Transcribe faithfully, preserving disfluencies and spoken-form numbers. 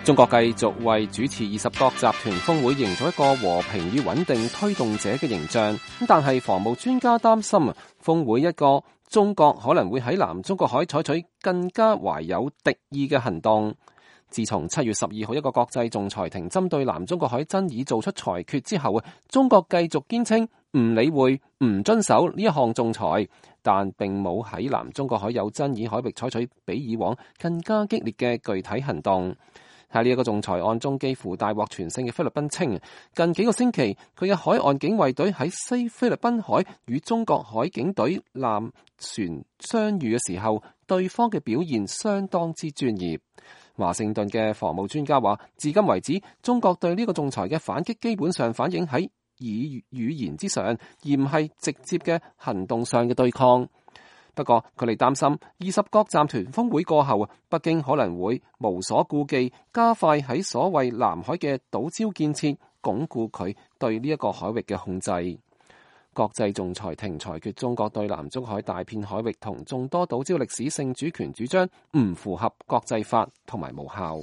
中國繼續為主持二十國集團峰會營造一個和平與穩定推動者嘅形象，但係防務專家擔心峰會一個中國可能會喺南中國海採取更加懷有敵意嘅行動。自從七月十二號一個國際仲裁庭針對南中國海爭議做出裁決之後，中國繼續堅稱唔理會、唔遵守呢一項仲裁，但並冇喺南中國海有爭議海域採取比以往更加激烈嘅具體行動。喺呢一個仲裁案中，幾乎大獲全勝嘅菲律賓稱，近幾個星期佢嘅海岸警衛隊喺西菲律賓海與中國海警隊艦船相遇嘅時候，對方嘅表現相當之專業。華盛頓嘅防務專家話，至今為止，中國對呢個仲裁嘅反擊基本上反映喺語語言之上，而唔係直接嘅行動上嘅對抗。不過佢哋擔心二十國集團峰會過後，北京可能會無所顧忌，加快喺所謂南海嘅島礁建設，鞏固佢對呢一個海域嘅控制。國際仲裁庭裁決中國對南中海大片海域同眾多島礁歷史性主權主張唔符合國際法同埋無效。